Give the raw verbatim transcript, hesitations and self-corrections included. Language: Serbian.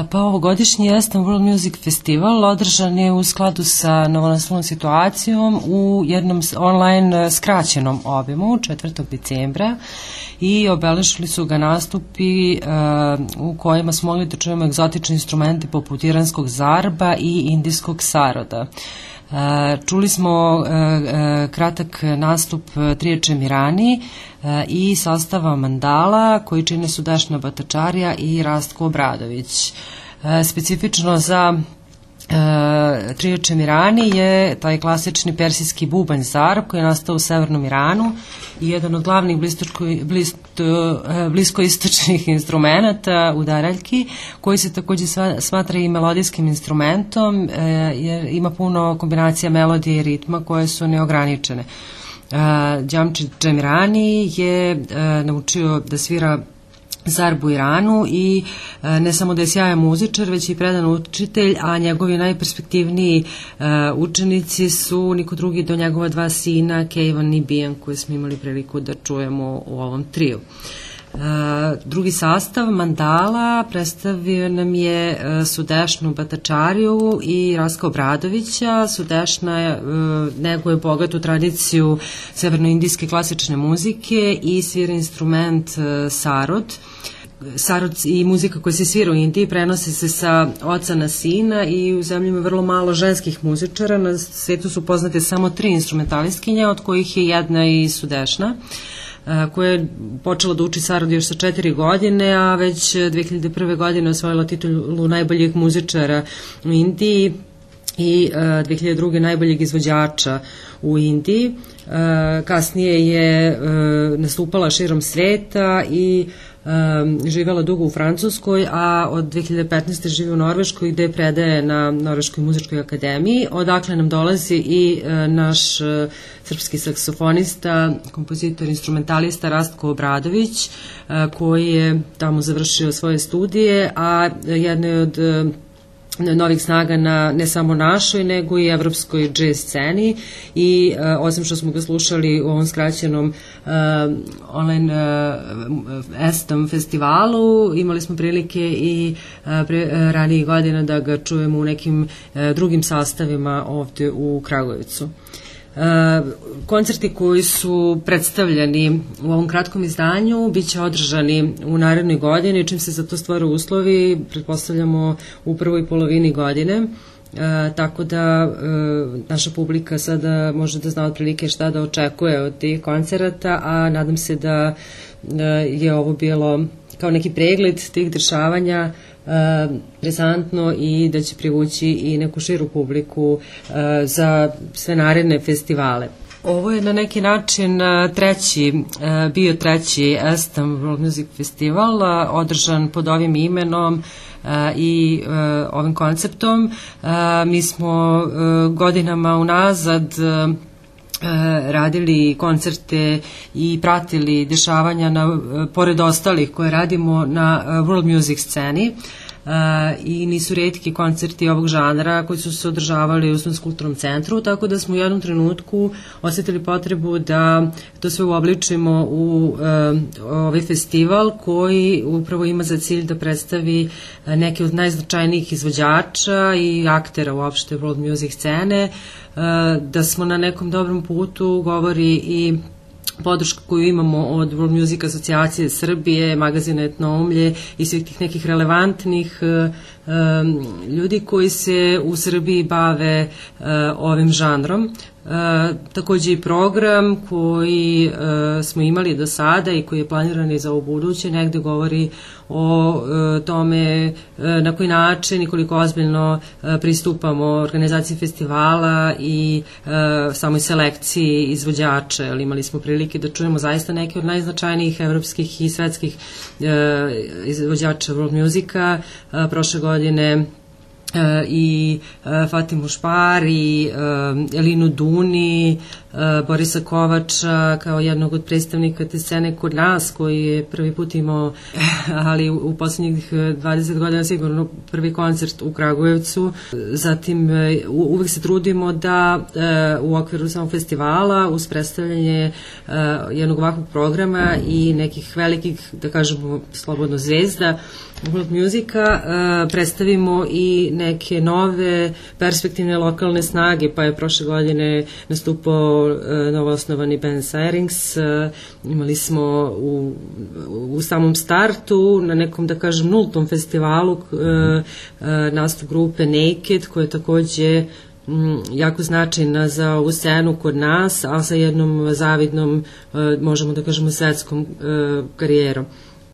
Pa ovogodišnji Aston World Music Festival održan je u skladu sa novonastalom situacijom u jednom online skraćenom obimu četvrtog decembra i obeležili su ga nastupi u kojima smo mogli da čujemo egzotične instrumente poput iranskog zarba i indijskog saroda. Čuli smo kratak nastup Trije Čemirani i sastava Mandala koji čine Sudešna Batačarija i Rastko Obradović. Specifično za Trije Čemirani je taj klasični persijski bubanj zarb koji je nastao u severnom Iranu i jedan od glavnih bliskoistočnih instrumenta udaraljki, koji se takođe smatra i melodijskim instrumentom jer ima puno kombinacija melodije i ritma koje su neograničene. Džamčid Čemirani je naučio da svira zarbu u Iranu i ne samo da je sjajan muzičar, već i predan učitelj, a njegovi najperspektivniji učenici su niko drugi do njegova dva sina, Kejvan i Bijan, koje smo imali priliku da čujemo u ovom triju. Drugi sastav Mandala predstavio nam je Sudešnu Batačariju i Raska Obradovića. Sudešna neguje bogatu tradiciju severnoindijske klasične muzike i svira instrument sarod. Sarod i muzika koja se svira u Indiji prenose se sa oca na sina i u zemlji ima vrlo malo ženskih muzičara. Na svetu su poznate samo tri instrumentalistkinje, od kojih je jedna i Sudešna, koja je počela da uči sarod još sa četiri godine, a već dve hiljade prve. godine osvojila titulu najboljeg muzičara u Indiji i dve hiljade druge. najboljeg izvođača u Indiji. Kasnije je nastupala širom sveta i živela dugo u Francuskoj, a od dve hiljade petnaeste. živi u Norveškoj gde predaje na Norveškoj muzičkoj akademiji, odakle nam dolazi i naš srpski saksofonista, kompozitor, instrumentalista Rastko Obradović, koji je tamo završio svoje studije, a jedna je od novih snaga na ne samo našoj, nego i evropskoj jazz sceni i uh, osim što smo ga slušali u ovom skraćenom uh, online uh, Aston festivalu, imali smo prilike i uh, pre, uh, ranijih godina da ga čujemo u nekim uh, drugim sastavima ovde u Kragujevcu. Uh, koncerti koji su predstavljeni u ovom kratkom izdanju biće održani u narednoj godini, čim se za to stvore uslovi, pretpostavljamo u prvoj polovini godine, uh, tako da uh, naša publika sada može da zna otprilike šta da očekuje od tih koncerata, a nadam se da uh, je ovo bilo kao neki pregled tih dešavanja prezantno i da će privući i neku širu publiku za sve naredne festivale. Ovo je na neki način treći, bio treći Aston World Music Festival, održan pod ovim imenom i ovim konceptom. Mi smo godinama unazad radili koncerte i pratili dešavanja na, pored ostalih koje radimo na world music sceni. Uh, i nisu retki koncerti ovog žanra koji su se održavali u Studentskom kulturnom centru, tako da smo u jednom trenutku osetili potrebu da to sve uobličimo u uh, ovaj festival koji upravo ima za cilj da predstavi neke od najznačajnijih izvođača i aktera uopšte world music scene, uh, da smo na nekom dobrom putu, govori i podršku koju imamo od World Music asocijacije Srbije, magazina Etnoumlje i svih tih nekih relevantnih um, ljudi koji se u Srbiji bave uh, ovim žanrom. Uh, takođe i program koji uh, smo imali do sada i koji je planiran i za ovo buduće negde govori o uh, tome uh, na koji način i koliko ozbiljno uh, pristupamo organizaciji festivala i uh, samoj selekciji izvođača. Ali imali smo prilike da čujemo zaista neke od najznačajnijih evropskih i svetskih uh, izvođača world musika. Uh, prošle godine i Fatimu Špar i Elinu Duni, Borisa Kovača kao jednog od predstavnika te scene kod nas koji je prvi put imao, ali u poslednjih dvadeset godina sigurno prvi koncert u Kragujevcu. Zatim uvek se trudimo da u okviru samog festivala uz predstavljanje jednog ovakvog programa i nekih velikih, da kažemo slobodno zvezda world muzika, predstavimo i neke nove perspektivne lokalne snage, pa je prošle godine nastupao novoosnovani band Sirings. Imali smo u, u samom startu na nekom, da kažem, nultom festivalu nastup grupe Naked, koja je takođe jako značajna za ovu scenu kod nas, a sa jednom zavidnom, možemo da kažemo, svetskom karijerom.